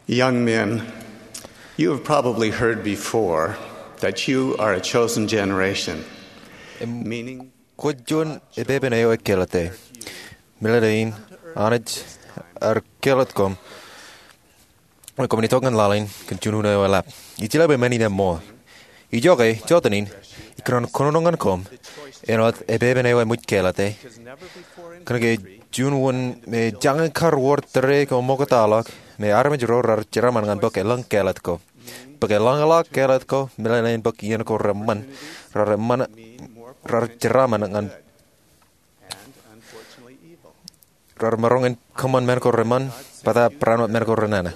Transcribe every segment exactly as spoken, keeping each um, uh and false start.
Young men, you have probably heard before that you are a chosen generation, meaning kwōj juon epepen eo ekkāālōt. Meḷeḷein, Anij ear kāālōt koṃ, koṃwin itok ñan laḷ in kōn juon unin eo eḷap. Ij jeḷā bwe men in eṃṃool. Ijoke, jotenin, ikōṇaan kōnono ñan koṃ āinwōt epepen eo eṃōj kāālōt. Kōnke juon wōt me jañin kar wōr tōre ko ṃoktaḷọk me armej ro raar jeraaṃṃan ñan bōk eḷaññe kāālōt ko. Bōk eḷaññe ḷọk kāālōt ko, meḷeḷein bōk iien ko reṃṃan, raar eṃṃan, raar jeraaṃṃan ñan raar maroñ in kōṃṃan men ko reṃṃan, bōtab barāinwōt men ko renana.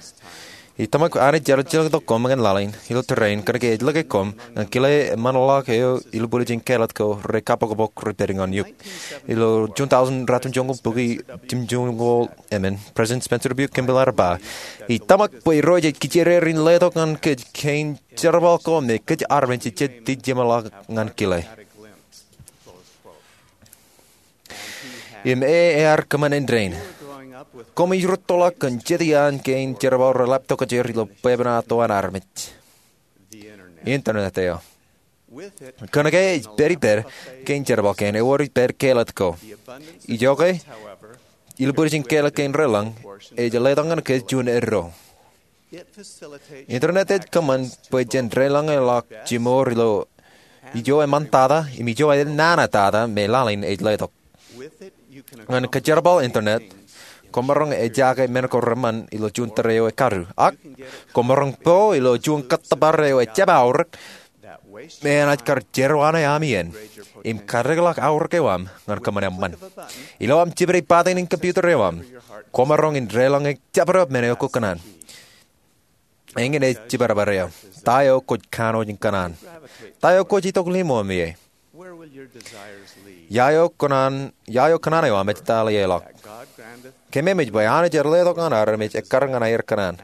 Ij tōmak bwe Anij ear jilkintok koṃ ñan laḷ in ilo tōre in kōnke ej lōke koṃ ñan kile eṃṃanḷọk eo ilubwiljin kāālōt ko rej kabbokbok rej pād ñan eok. Ilo juon taujin ratimjuonñoul bukwi jimjuonñoul emān, President Spencer W. Kimball ear ba, ij tōmak bwe Irooj ej kijererein letok ñan kōj kein jerbal ko me kōj armej ejjab tijjemḷọk ñan kile. Im e ear kōṃṃan indein. Koṃij rūttoḷọk kōn jet iaan kein jerbal reḷap tokjāer ilo bwebwenato an armej, Internet eo. Kōnke ej pād ippād kein jerbal kein, ewōr ippād kāālōt ko. Ijoke, ilubwiljin kāālōt kein reḷaññe ej letok ñan kōj juon eddo. Internet ej kōṃṃan bwe jen deḷọñe ḷọk jimour ilo ijo eṃṃantata im ijo enanatata me laḷ in ej letok. Ñan kōjerbal internet, koṃ maroñ ejaake men ko reṃṃan ilo juon tōre eo ekkadu, ak koṃ maroñ po ilo juon kōttōpar eo ejjab aorōk me enaaj kar jerọwiwi aṃ iien im katikḷọk aorōk eo aṃ ñan kōṃṃan eṃṃan. Ilo aṃ jipde button in computer eo aṃ, koṃ maroñ in deḷọñe jabdewōt men eo kwōj kōṇaan. Eñin ej jibadbad eo. Ta eo kwōj kanooj in kōṇaan? Ta eo kwōj itok ḷimo aṃ ie? Ia eo kōṇaan, ia eo kōṇaan eo aṃ ej ta ḷọk? Kōmemej bwe Anij ear letok ñan armej ekkar ñan aer kōṇaan,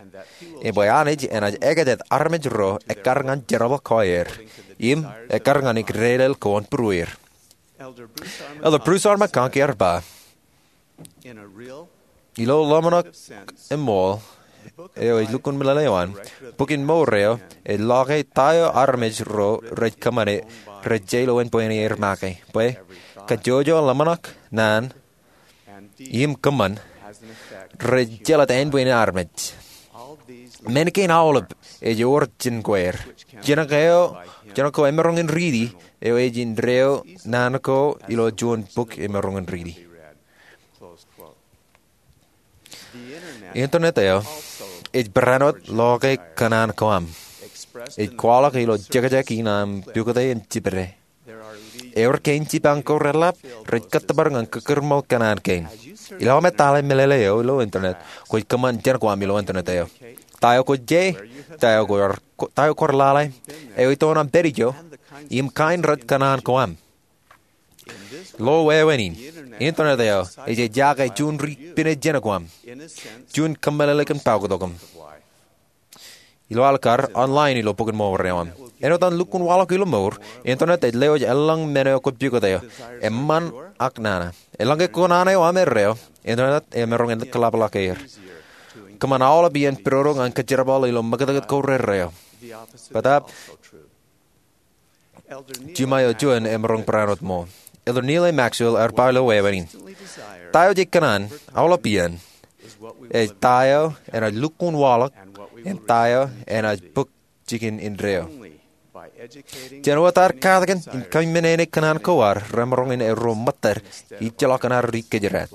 im bwe Anij enaaj ekajet armej ro ekkar ñan jerbal ko aer, im ekkar ñan ikdedeḷọñ ko an būrueir. Elder Bruce R. McConkie ear ba, ilo ḷōmṇak eṃṃool eo ej lukkuun meḷeḷe eo an, bok in mour eo ej lọke ta eo armej ro rej kōṃṃane rej je ilo ānbwinnier make, bwe kajjojo ḷōmṇak, naan, im kōṃṃan rej jelōt ānbwinnier armej. Men kein aolep ej wōr jān kwe er. Jān ko, jān ko emaroñ in riiti eo ej indeeo naan ko ilo juon bok emaroñ in riiti. Internet eo ej barāinwōt lọke kōṇaan ko aṃ. Ej kwaḷọk ilo jekjek in aṃ pukot im jipde. Ewōr kein jipañ ko reḷap rej kōttōpar ñan kōkūrmol kōṇaan kein. Ilo aṃ etale meḷeḷe eo ilo internet, kwōj kōṃṃan jān ko aṃ ilo internet eo. Ta eo kwōj je, ta eo kwaar, ta eo kwaar lale, eo itok aṃ pād ijo, im kain rej kōṇaan ko aṃ. Ilo wāween in, internet eo ej ejaake juon ri pine jān ko aṃ, juon kōmmeḷeḷe kōn pokot ko aṃ. Ilo aḷ kar, online ilo bok in mour eo aṃ. Āinwōt an lukkuun waḷọk ilo mour, internet ej lewōj eḷaññe men eo kwōj pukot eo, eṃṃan ak nana. Eḷaññe kōṇaan eo aṃ erreo, internet eo emaroñ in kōḷapḷọk er. Kōṃṃan aolep iien pidodo ñan kōjerbal ilo ṃakūtkūt ko rerreo. Bōtab jima eo juon emaroñ barāinwōt ṃool. Elder Neal A. Maxwell ear ba ilo wāween in, ta eo jej kōṇaan aolep iien ej ta eo enaaj lukkuun waḷọk im ta eo enaaj bōk jikin indeeo. Jān wōt ad katakin im kōmmenin kōṇaan ko ad remaroñ in erro ṃōttad ijjeḷọk an ad ri kōjdat.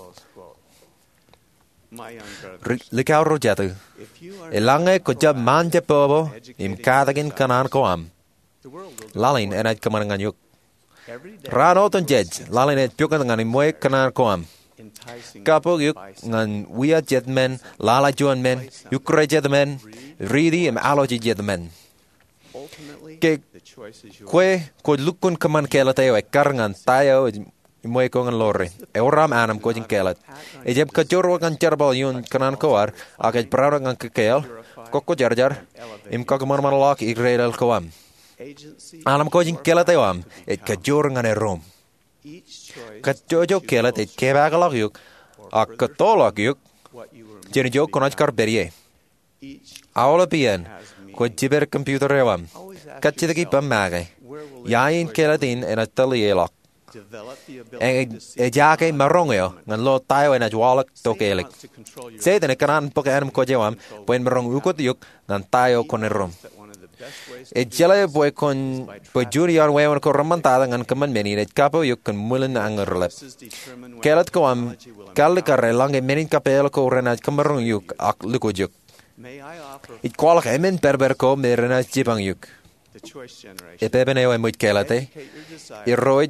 Ri-, likao ro jatū, eḷaññe kwōjab ṃaanjepọpọ im katakin kōṇaan ko aṃ, laḷ in enaaj kōṃṃan ñan eok. Raan otemjej, laḷ in ej pukot ñan ṃweiuk kōṇaan ko aṃ. Kabbok eok ñan wia jet men, lale juon men, ukōrā jet men, riiti im alwōj jet men. Ke kwe kwōj lukkuun kōṃṃan kāālōt eo ekkar ñan ta eo ṃweiuk ko ñan ḷoore. Ewōr aṃ anemkwōj in kāālōt. Ejjab kajoor wōt ñan jerbal ioon kōṇaan ko ad, ak ej barāinwōt ñan kōkkeaḷ, kokkojarjar, im kakōṃanṃanḷọk ikdedeḷọñ ko aṃ. Anemkwōj in kāālōt eo aṃ ej kajoor ñan eddoṃ. Kajjojo kāālōt ej kepaakḷọk eok, ak kōttoḷọk eok jān ijo kwōnaaj kar pād ie. Aolep iien kwōj jiped computer eo aṃ, kajjitōk ippaṃ make, ia in kāālōt in enaaj tōl ḷọk? Eñin, ejaake maroñ eo ñan lo ta eo enaaj waḷọk tokālik. Setan ekōṇaan bōk ānōṃ kōj eo aṃ bwe en maroñ ukōt eok ñan ta eo kwōn erom. Ej jeḷā bwe kwōn, bwe juon iaan wāween ko reṃṃantata ñan kōṃṃan men in ej kapo eok kōn ṃwilen añōrḷap. Kāālōt ko aṃ kallikar eḷaññe men in kapeel ko renaaj kōmaroñ eok ak lukkuun eok. Ij kwaḷọk emān pād pād ko me renaaj jipañ eok. Epepen eo eṃōj kāālōte, irooj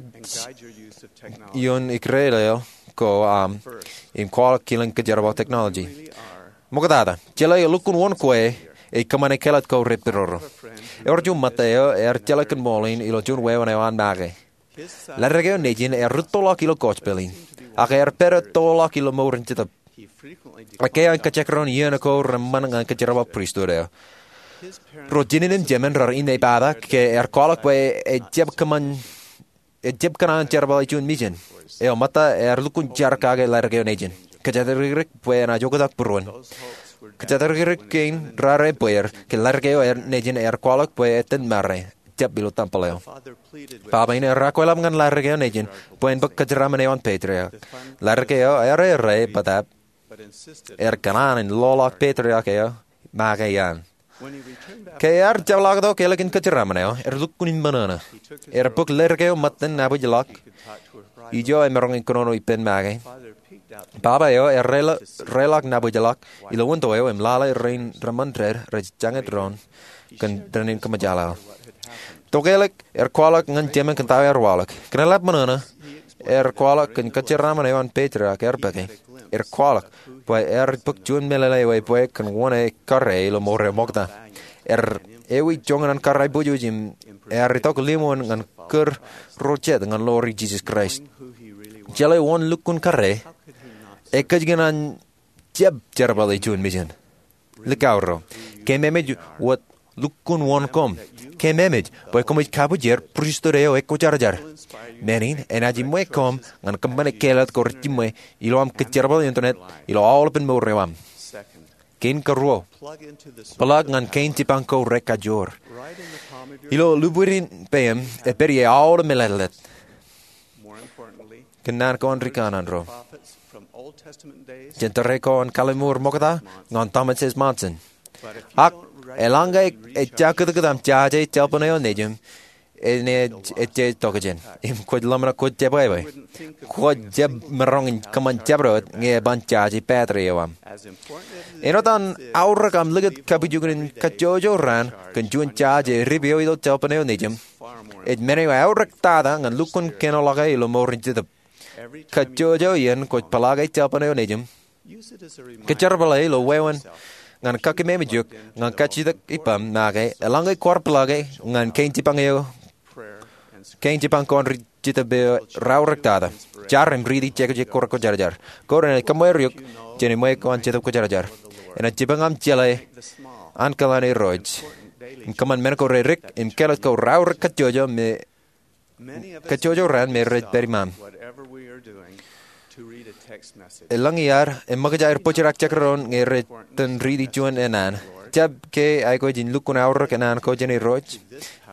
ioon ikdōḷ eo ko aṃ im kwaḷọk kilōñ kōjerbal technology. Ṃoktata, jeḷā lukkuun wōn kwe ej kōṃṃane kāālōt ko repororo. Ewōr juon ṃōtta eo ear jeḷā kōn ṃool in ilo juon wāween eo an make. Ladik eo nejin ear rūttoḷọk ilo gospel in, ak ear pād ettoḷọk ilo mour in jetōb. Ekkā an kajekdọọn iien ko reṃṃan ñan kōjerbal pristut eo. Ro jinen im jemān raar innepata ke ear kwaḷọk bwe ejjab kōṃṃan, ejjab kōṇaan jerbale juon mijen. Eo ṃōtta ear lukkuun jar kake ladik eo nejin. Kōjatdikdik bwe enaaj oktak būruon. Kōjatdikdik kein raar ebbeer ke ladik eo nejin ear kwaḷọk bwe ettōn mare, jab ilo tempel eo. Baba in ear akweḷap ñan ladik eo nejin bwe en bōk kōjeraaṃṃan eo an patriarch. Ladik eo ear errā bōtab, ear kōṇaan in loḷọk patriarch eo make iaan. Ke ear jepḷaaktok ālikin kōjeraaṃṃan eo, ear lukkuun in ṃōṇōṇō. Ear bōk ladik eo ṃōttan nabōjḷọk, ijo emaroñ in kōnono ippān make. Baba eo ear reḷọk, reḷọk nabōjḷọk ilo window eo im lale rein reṃṃan dād rej jañin doon kōn dān in kōṃōjḷọk. Tokālik ear kwaḷọk ñan jemān kōn ta eo ear waḷọk. Kōn eḷap ṃōṇōṇō, ear kwaḷọk kōn kōjeraaṃṃan eo an patriarch ear bōke. Ear kwaḷọk bwe ear bōk juon meḷeḷe eo ebwe kōn wōn e karre ilo mour eo ṃokta. Ear ewi joñan an karreojuon im ear itok limoon ñan kūr ro jet ñan ḷoori Jesus Christ. Jeḷā wōn lukkuun karre, ekōjkan an jab jerbale juon mijen? Likao ro, kōmeemej wōt lukkuun wōn koṃ. Kōmeemej bwe koṃij kabujer pristut eo ekwōjarjar. Men in enaaj ṃwe koṃ ñan kōṃṃane kāālōt ko rej jiṃwe ilo aṃ kōjerbal internet ilo aolepān mour eo aṃ. Kein karuo, plug ñan kein jipañ ko rekajoor. Ilo lubwidin peiṃ ej pād ie aolep meḷeḷe. Kōn naan ko an rikaṇaan ro, jān tōre ko an kalliṃur ṃokta ñan Thomas S. Monson. Ak eḷaññe ejja kūtkūt aṃ jaje cell phone eo nejiṃ, enaaj ejje tokjān im kwōj ḷōmṇak kwōj jebwābwe. Kwōj jab maroñ in kōṃṃan jabdewōt ñe eban jaje battery eo aṃ. Āinwōt an aorōk aṃ likūt kapijuknen kajjojo raan kōn juon jaje ri pio ilo cell phone eo nejiṃ, ej men eo eaorōk tata ñan lukkuun kōnoḷọke ilo mour in jetōb. Kajjojo iien kwōj peḷaake cell phone eo nejiṃ, kōjerbale ilo wāween ñan kakememej eok ñan kajjitōk ippaṃ make eḷaññe kwaar peḷaake ñan kein jipañ eo, kein jipañ ko an ri jetōb eo raorōk tata. Jar im riiti jekjek ko rekwōjarjar. Koṃ enaaj kōṃṃan eok jān ṃwe ko an Jetōb Kwōjarjar. Enaaj jipañ aṃ jeḷā ankōḷan Irooj im kōṃṃan men ko redik im kāālōt ko raorōk kajjojo me kajjojo raan me rej pād iṃaṃ. Elōñ iaad eṃōkaj aer bōjrak jekdọọn ñe rej itōn riiti juon ennaan. Jab ke aikuj in lukkuun aorōk ennaan ko jān Irooj?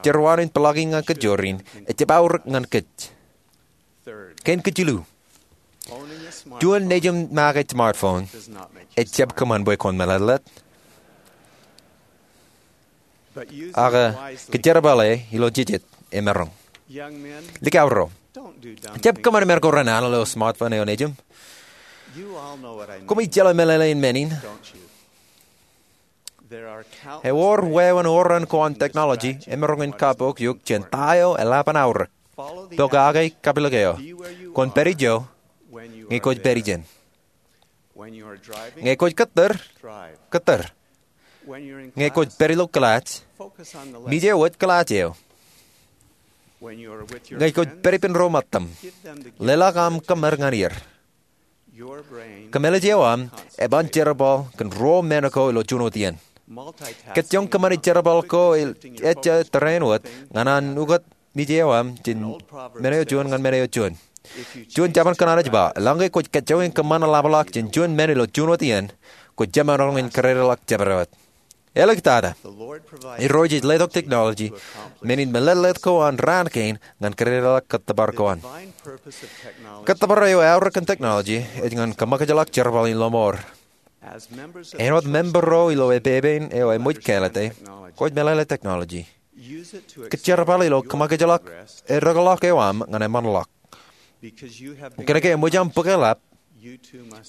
Jeruwaanwin peḷaaki ñan kōjro in, ejjab aorōk ñan kōj. Kein kajilu, juon nejiṃ make smartphone ejjab kōṃṃan bwe kwōn meḷeḷe. Ak kōjerbale ilo jijet emaroñ. Likao ro, jab kōṃṃan men ko renana ilo smartphone eo nejiṃ. Koṃij jeḷā meḷeḷein men in. Ewōr wāween oran ko an technology emaroñ in kapook eok jān ta eo eḷap an aorōk. Pokake kapilōk eo. Kwōn pād ijo ñe kwōj pād ijin. Ñe kwōj kōttar, kōttar. Ñe kwōj pād ilo clutch, mije wōt clutch eo. Ñe kwōj pād ippān ro mōttaṃ, leḷọk aṃ kōṃṃad ñan er. Kōmālij eo aṃ eban jerbal kōn ruo men ko ilo juon wōt iien. Kōjjoñ kōṃṃane jerbal ko ejja tōre in wōt ñan an ukōt mije eo aṃ jān men eo juon ñan men eo juon. Juon jabōn kōṇaan ej ba, eḷaññe kwōj kōjjoñ in kōṃṃan ḷapḷọk jān juon men ilo juon wōt iien, kwōj jemaroñ in kōdedḷọk jabdewōt. Āliktata, Irooj ej letok technology men in meḷeḷeet ko an raan kein ñan kōdedalọk kōttōpar ko an. Kōttōpar eo eaorōk kōn technology ej ñan kōṃakijḷọk jerbal in lọmọọr. Āinwōt member ro ilo epepen eo eṃōj kāālōte, kwōj meḷeḷe technology. Kōjerbal ilo kōṃakijḷọk edekḷọk eo aṃ ñan eṃṃanḷọk. Kōnke eṃōj aṃ bōk eḷap,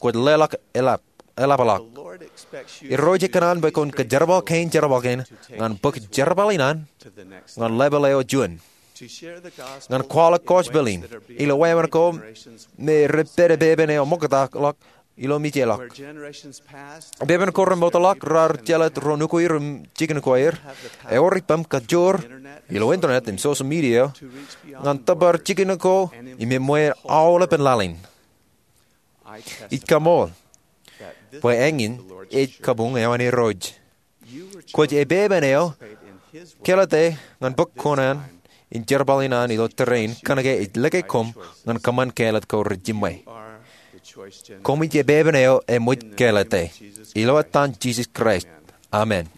kwōj leḷọk eḷapḷọk. Irooj ej kōṇaan bwe kwōn kōjerbal kein jerbal kein ñan bōk jerbal in an ñan level eo juon, ñan kwaḷọk gospel in ilo wāween ko me rej pād epepen eo ṃoktaḷọk ilo mejāḷọk. Epepen ko remootḷọk raar jelōt ro nukuer im jikin ko aer, ewōr ippaṃ kajoor ilo internet im social media ñan tōpar jikin ko im eṃṃan aolepān laḷ in. Ij kaṃool bwe eñin ej kabuñ eo an Irooj. Kwōj epepen eo kāālōte ñan bōk kuṇaan in jerbal in an ilo tōre in kōnke ej lōke koṃ ñan kōṃṃan kāālōt ko rej jiṃwe. Koṃij epepen eo eṃōj kāālōte. Ilo etan Jisōs Kraist, amen.